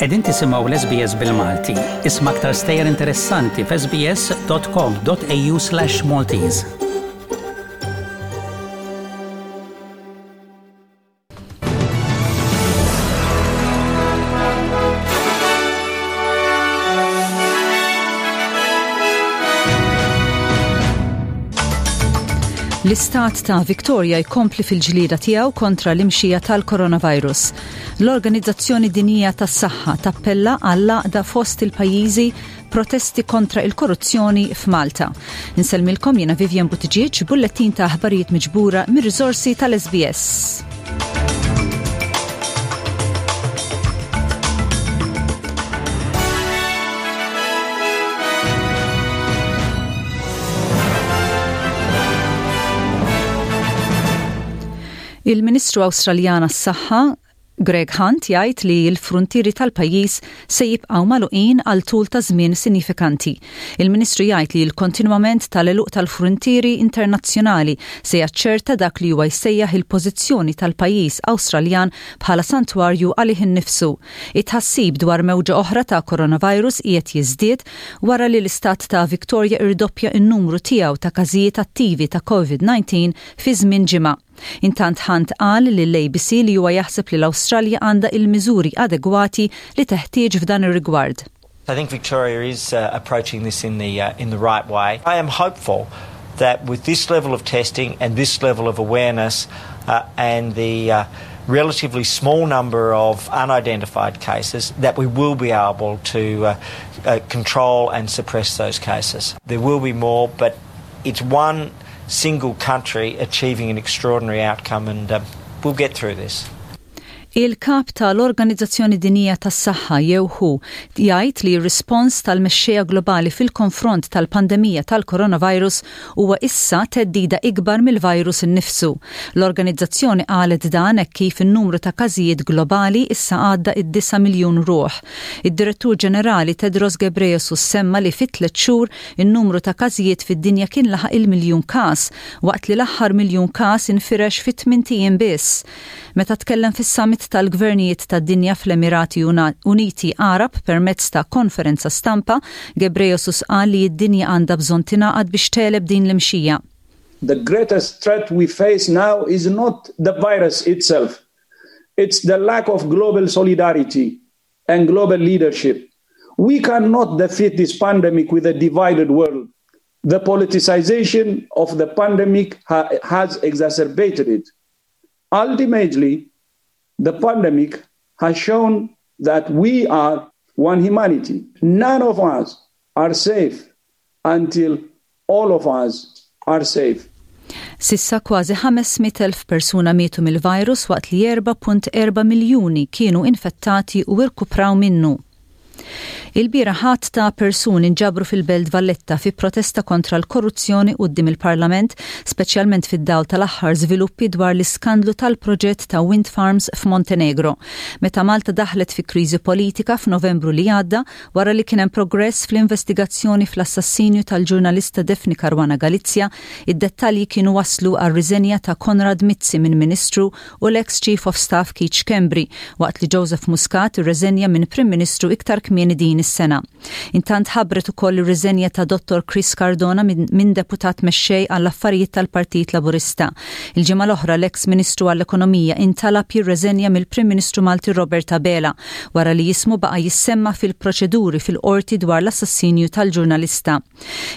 Qegħdin tisimgħu l-SBS bil-Malti. Isma' aktar stejjer interessanti f'sbs.com.au/Maltese. L-istat ta' Victoria jkompli fil-ġlieda tiegħu kontra l-imxija tal-coronavirus. L-Organizzazzjoni Dinjija tas-Saħħa tappella għall-għaqda fost il-pajjiżi protesti kontra il-korruzzjoni f'Malta. Insellmilkom jiena Vivian Buttigieg, bullettin ta' aħbarijiet miġbura mir-riżorsi tal-SBS. Il-Ministru Awstraljan għas-Saħħa Greg Hunt jgħid li l-fruntieri tal-pajjiż se jibqgħu magħluqin għal tul ta' żmien sinjifikanti. Il-Ministru jgħid li l-kontinwament tal-għeluq tal-fruntieri internazzjonali se jaċċerta dak li huwa jsejjaħ il-pożizzjoni tal-pajjiż Awstraljan bħala santwarju għalih innifsu. It-tħassib dwar mewġa oħra ta' coronavirus qiegħed jiżdied wara li l-istat ta' Victoria irdoppja n-numru tiegħu ta' każijiet attivi ta' Covid-19 fi żmien ġimgħa. Intant Hunt qal lill-ABC li huwa jaħseb li l-Awstralja għandha il-miżuri adegwati li teħtieġ f'dan ir-rigward. I think Victoria is uh, approaching this in the, uh, in the right way. I am hopeful that with this level of testing and this level of awareness uh, and the uh, relatively small number of unidentified cases, that we will be able to uh, uh, control and suppress those cases. There will be more, but it's one single country achieving an extraordinary outcome and uh, we'll get through this. Il-kap tal-Organizzazzjoni Dinjija tas-Saħħa jew WHO jgħid li r-rispons tal-mexxejja globali fil-konfront tal-pandemija tal-coronavirus huwa issa theddida ikbar mill-virus innifsu. L-organizzazzjoni qalet dan hekk kif in-numru ta' każijiet globali issa għadda id-9 miljun ruħ. Id-Direttur Ġenerali Tedros Ghebreyesus semma li fi tliet xhur In-numru ta' każijiet fid-dinja kien laħaq il-miljun każ, waqt li l-aħħar miljun każ infirex fi tmint ijiem biss. Meta tkellem fis-summit tal-gvernijiet tad-dinja fl-Emirati Uniti Għarab permezz ta' konferenza stampa, Ghebreyesus qal li d-dinja għandha bżonn tingħaqad biex tegħleb din l-imxija. The greatest threat we face now is not the virus itself. It's the lack of global solidarity and global leadership. We cannot defeat this pandemic with a divided world. The politicization of the pandemic ha has exacerbated it. Ultimately, the pandemic has shown that we are one humanity. None of us are safe until all of us are safe. S'issa kważi 500,000 persuna mietu mill-virus waqt li 4.4 miljuni kienu infettati u irkupraw minnu. Ilbieraħ għadd ta' persuni nġabru fil-Belt Valletta fi protesta kontra l-korruzzjoni quddiem il-Parlament, speċjalment fid-dawl tal-aħħar żviluppi dwar l-iskandlu tal-proġett ta' wind farms f'Montenegro. Meta Malta daħlet fi kriżi politika f'Novembru li għadda, Wara li kien hemm progress fl-investigazzjoni fl-assassinju tal-ġurnalista Daphne Caruana Galizia, id-dettalji kienu wasslu għar-riżenja ta' Konrad Mizzi minn Ministru u l-eks Chief of Staff Keith Schembri, waqt li Joseph Muscat irreżenja minn Prim Ministru iktar kmieni din is-sena. Intant ħabbret ukoll ir-riżenja ta' Dottor Chris Cardona minn Deputat Mexxej għall-Affarijiet tal-Partit Laburista. Il-ġimgħa l-oħra l-eks Ministru għall-Ekonomija intalab jirreżenja mill-Prim Ministru Malti Robert Abela wara li ismu baqa' jissemma fil-proċeduri fil-Qorti dwar l-assassinju tal-ġurnalista.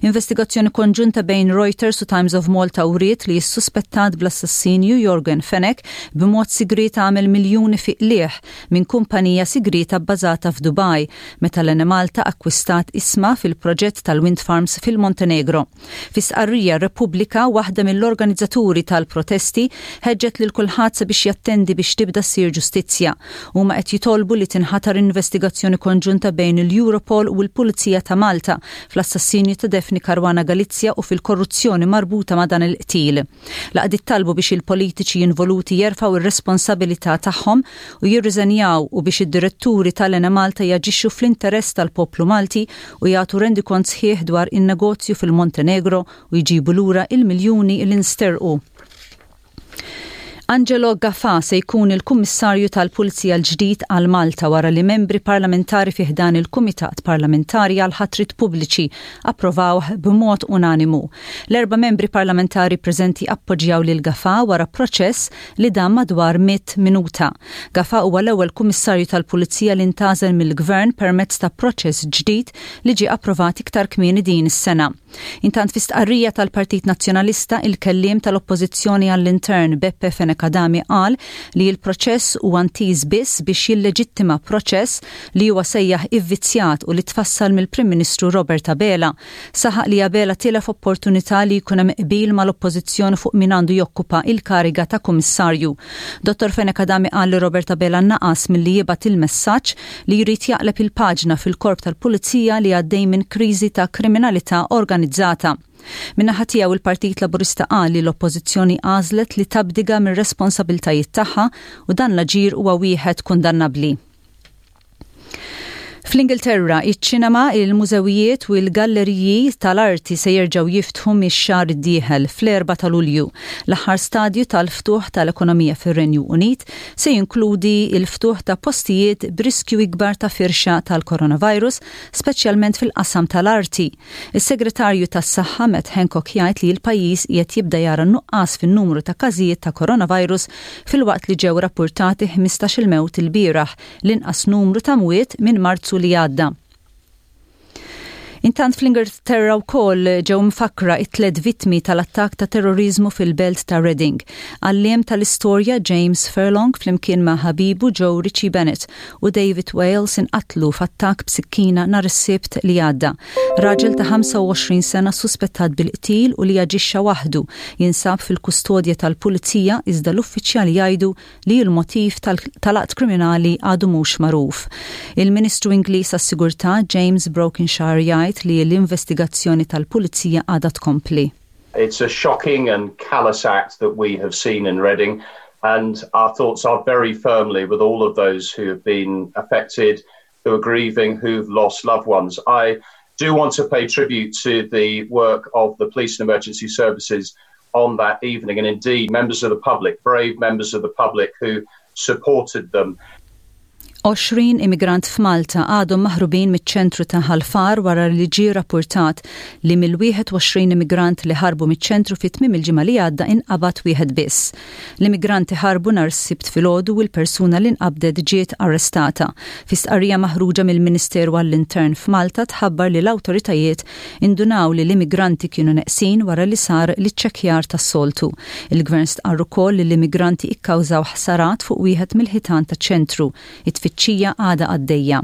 Investigazzjoni konġunta bejn Reuters u Times of Malta wriet li s-suspettat bl-assassinju Yorgen Fenech b'mod sigriet għamel miljuni fi qligħ minn kumpanija sigrieta bbażata f'Dubaj meta l-Enemalta akkwistat ishma fil-proġett tal-wind farms fil-Montenegro. Fi stqarrija, Repubblika, waħda mill-organizzaturi tal-protesti, ħeġġet lil kulħadd sabiex jattendi biex tibda ssir ġustizzja. Huma qed jitolbu li tinħatar investigazzjoni konġunta bejn il-Europol u l-Pulizija ta' Malta fl-assassinju ta' Daphne Caruana Galizia u fil-korruzzjoni marbuta ma' dan il-qtil. L-għaqdiet talbu biex il-politiċi involuti jerfgħu r-responsabilità tagħhom u jirriżenjaw u biex id-diretturi tal-Enemalta jaġixxu fl-interess tal-poplu Malti u jagħtu rendikont sħiħ dwar in-negozju fil-Montenegro u jġibu lura il-miljuni li nsterqu. Angelo Gafà se jkun il-Kummissarju tal-Pulizija l-ġdid għal Malta wara li membri parlamentari fi ħdan il-Kumitat Parlamentari għall-Ħatriet Pubbliċi approvawh b'mod unanimu. L-erba' membri parlamentari preżenti appoġġjaw lil Gafà wara proċess li dam madwar 100 minuta. Gafà huwa l-ewwel Kummissarju tal-Pulizija li ntgħażel mill-Gvern permezz ta' proċess ġdid li ġie approvat iktar kmieni din is-sena. Intant fi stqarrija tal-Partit Nazzjonalista, il-kelliem tal-Oppożizzjoni għall-Intern Beppe Fenech Adami qal li l-proċess huwa ntiż biss biex jilleġittima proċess li huwa sejjaħ ivvizzjat u li tfassal mill-Prim Ministru Robert Abela. Saħaq li Abela tilef opportunità li jkun hemm qbil mal-Oppożizzjoni fuq min għandu jokkupa il-kariga ta' Kummissarju. Dottor Fenech Adami qal li Robert Abela naqas milli jibgħat il-messaġġ li jrid jaqleb il-paġna fil-Korp tal-Pulizija li għaddej minn kriżi ta' kriminalità organizzata. Min-naħa tiegħu il-Partit Laburista qal li l-Oppożizzjoni għażlet li tabdiga mir-responsabiltajiet tagħha u dan l-aġir huwa wieħed kundannabbli. Fl-Ingilterra, iċ-ċinema, il-mużewijiet u l-galleriji tal-arti se jerġgħu jiftħu mix-xahar id-dieħel, fl-4 ta' Lulju. L-aħħar stadju tal-ftuħ tal-ekonomija fir-Renju Unit se jinkludi l-ftuħ ta' postijiet b'riskju ikbar ta' firxa tal-coronavirus, speċjalment fil-qasam tal-arti. Is-Segretarju tas-Saħħa Matt Hancock jgħid li l-pajjiż qiegħed jibda jara nuqqas fin-numru ta' każijiet ta' coronavirus filwaqt li ġew rappurtati 15-il mewt ilbieraħ, l-inqas numru ta' mwiet minn Marzu li għadda. Intant fl-Ingilterra wkoll ġew mfakkra it-tliet vittmi tal-attakk ta' terroriżmu fil-belt ta' Reading. Għalliem tal-istorja James Furlong flimkien ma' ħabibu Joe Ritchie Bennett u David Wales inqatlu f'attakk b'sikkina nhar is-Sibt li għadda. Raġel ta' 25 sena suspettat bil-qtil u li aġixxa waħdu jinsab fil-kustodja tal-pulizija iżda l-uffiċjali jgħidu li l-motiv tal-att kriminali għadu mhux magħruf. Il-Ministru Ingliż għas-Sigurtà James Brokenshire jgħid li l-investigazzjoni tal-Pulizija għadha tkompli. It's a shocking and callous act that we have seen in Reading and our thoughts are very firmly with all of those who have been affected, who are grieving, who've lost loved ones. I do want to pay tribute to the work of the police and emergency services on that evening, and indeed members of the public, brave members of the public who supported them. 20 immigrant f'Malta għadhom maħrubin miċ-ċentru ta' Ħal Far wara li ġie rappurtat li mill-21 immigrant li ħarbu miċ-ċentru fi tmiem il-ġimgħa li għadda inqabad wieħed biss. L-immigranti ħarbu nhar is-Sibt filgħodu u l-persuna li nqabdet ġiet arrestata. Fi stqarrija maħruġa mill-Ministeru għall-Intern f'Malta tħabbar li l-awtoritajiet indunaw li l-immigranti kienu neqsin wara li sar l-iċċekkjar tas-soltu. Il-Gvern stqarr ukoll li l-immigranti ikkawżaw ħsarat fuq wieħed mill-ħitan taċ-ċentru. It-tfittxija għadha għaddejja.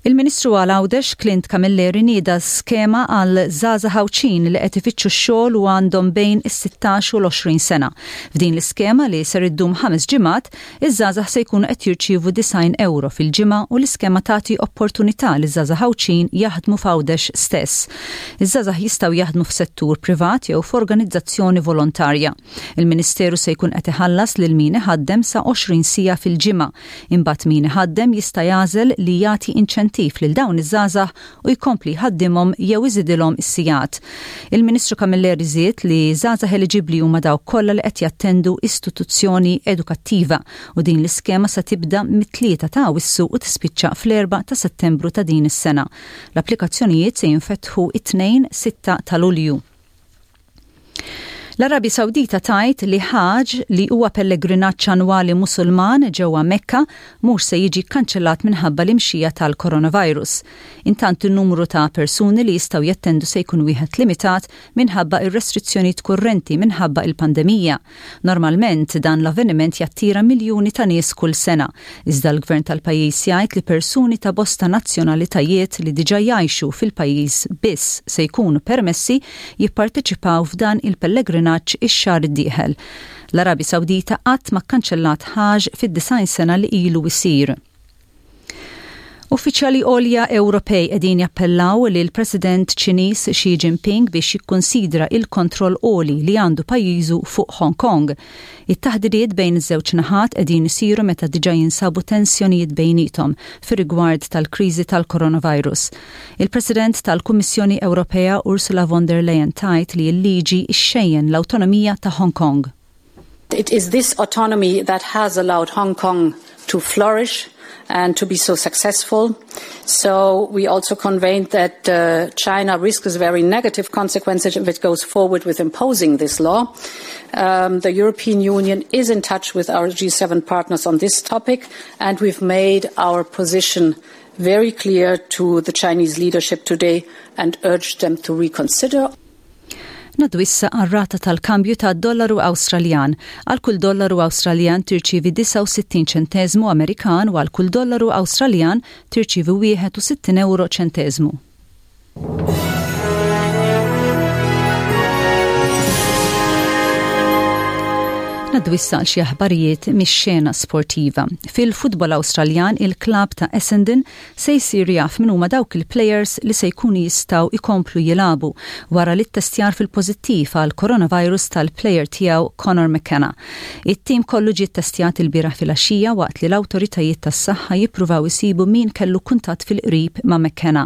Il-Ministru għal Għawdex Clint Camilleri nieda skema għal żgħażagħ Għawdxin li qed ifittxu x-xogħol u għandhom bejn is-16 u l-20 sena. F'din l-iskema li ser iddum ħames ġimgħat, Iż-żgħażagħ se jkunu qed jirċievu 90 ewro fil-ġimgħa u l-iskema tagħti opportunità liż-żgħażagħ Għawdxin jaħdmu f'Għawdex stess. Iż-żgħażagħ jistgħu jaħdmu f'settur privat jew f'organizzazzjoni volontarja. Il-Ministeru se jkun qed iħallas lil min iħaddem sa 20 siegħa fil-ġimgħa. Imbagħad min iħaddem jista' jagħżel li jagħti inċentiv lil dawn iż-żgħażagħ u jkompli jħaddimhom jew iżidilhom is-sigħat. Il-Ministru Camilleri żied li żgħażagħ eliġibbli huma dawk kollha li qed jattendu istituzzjoni edukattiva u din l-iskema se tibda mit-3 ta' Awwissu u tispiċċa fl-4 ta' Settembru ta' din is-sena. L-applikazzjonijiet se jinfetħu it-Tnejn 6 ta' Lulju. L-Arabja Sawdita tgħid li Hajj, li huwa pellegrinaġġ annwali Musulman ġewwa Mekka, mhux se jiġi kkanċellat minħabba l-imxija tal-coronavirus. Intant in-numru ta' persuni li jistgħu jattendu se jkun wieħed limitat minħabba r-restrizzjonijiet kurrenti minħabba il-pandemija. Normalment dan l-avveniment jattira miljuni ta' nies kull sena, iżda l-Gvern tal-pajjiż jgħid li persuni ta' bosta nazzjonalitajiet li diġà jgħixu fil-pajjiż biss se jkunu permessi jipparteċipaw f'dan il-pellegrinaġġ ix-xahar id-dieħel. L-Arabja Sawdita qatt ma kkanċellat Hajj fid-90 sena li ilu jsir. Uffiċjali għolja Ewropej qegħdin jappellaw lill-President Ċiniż Xi Jinping biex jikkunsidra il-kontroll għoli li għandu pajjiżu fuq Hong Kong. It-taħdidiet bejn iż-żewġ naħat qegħdin isiru meta diġà jinsabu tensjonijiet bejniethom fir-rigward tal-kriżi tal-coronavirus. Il-President tal-Kummissjoni Ewropea Ursula von der Leyen tgħid li l-liġi xxejjen l-awtonomija ta' Hong Kong. It is this autonomy that has allowed Hong Kong to flourish and to be so successful. So we also conveyed that uh, China risks very negative consequences if it goes forward with imposing this law. Um, the European Union is in touch with our G7 partners on this topic, and we've made our position very clear to the Chinese leadership today and urged them to reconsider. Ngħaddu issa għar-rata tal-kambju ta' dollaru Awstraljan. Għal kull dollaru Awstraljan tirċievi 69 ċenteżmu Amerikan u għal kull dollaru Awstraljan tirċievi 61 ewro ċenteżmu. Ngħaddu issa għal xi aħbarijiet mix-xena sportiva. Fil-futbol Awstraljan il-klabb ta' Essendon se jsir jaf min huma dawk il-plejers li se jkunu jistgħu jkomplu jilagħbu wara li ttestjar fil-pożittiv għal coronavirus tal-plejer tiegħu Conor McKenna. It-tim kollu ġie ttestjat ilbieraħ filgħaxija waqt li l-awtoritajiet tas-saħħa jippruvaw isibu min kellu kuntatt fil-qrib ma' McKenna.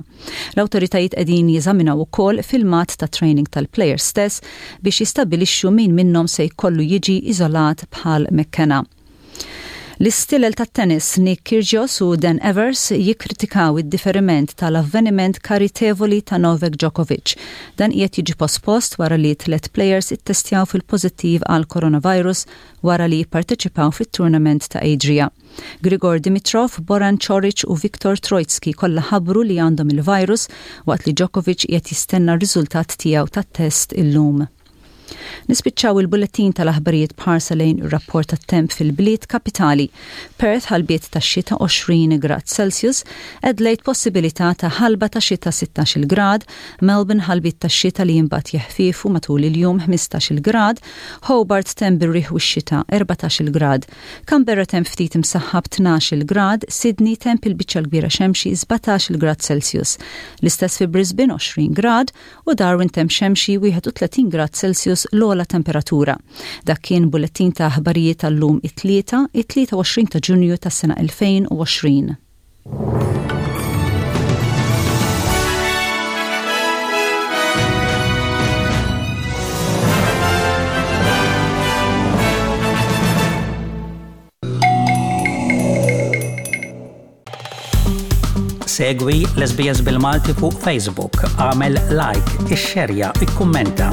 L-awtoritajiet qegħdin jeżaminaw ukoll filmat ta' training tal-plejers stess biex jistabbilixxu min minnhom se jkollu jiġi iżolat bħal McKenna. L-istilel tat-tennis Nick Kyrgios u Dan Evers jikkritikaw id-diferiment tal-avveniment karitevoli ta' Novak Djokovic. Dan qiegħed jiġi pospost wara li tlett plejers ittestjaw fil-pożittiv għall-coronavirus wara li jipparteċipaw fit-tournament ta' Adria. Grigor Dimitrov, Boran Coric u Viktor Troicki kollha ħabbru li għandhom il-virus waqt li Djokovic qiegħed jistenna r-riżultat tiegħu tat-test illum. Nispiċċaw il-bullettin tal-aħbarijiet b'ħarsa lejn ir-rapport tat-temp fil-bliet kapitali. Perth ħalbiet tax-xita 20 grad Celsius, Adelaide possibilità ta' ħalba ta' xita 16-il grad, Melbourne ħalbiet tax-xita li imbagħad jeħfiefu matul il-jum 15-il grad, Hobart temp bir-riħ u x-xita 14-il grad, Canberra temp ftit imsaħħab 12-il grad, Sydney temp il-biċċa l-kbira xemxi 17-il grad Celsius. L-istess fi Brisbane 20 grad, u Darwin temp xemxi 31 grad Celsius l-ogħla temperatura. Dak kien bullettin ta' aħbarijiet tal-lum it-Tlieta, it-23 ta' Ġunju tas-sena 2020. Segwi l-SBS bil-Malti fuq Facebook, għamel like, ixxerja, ikkummenta.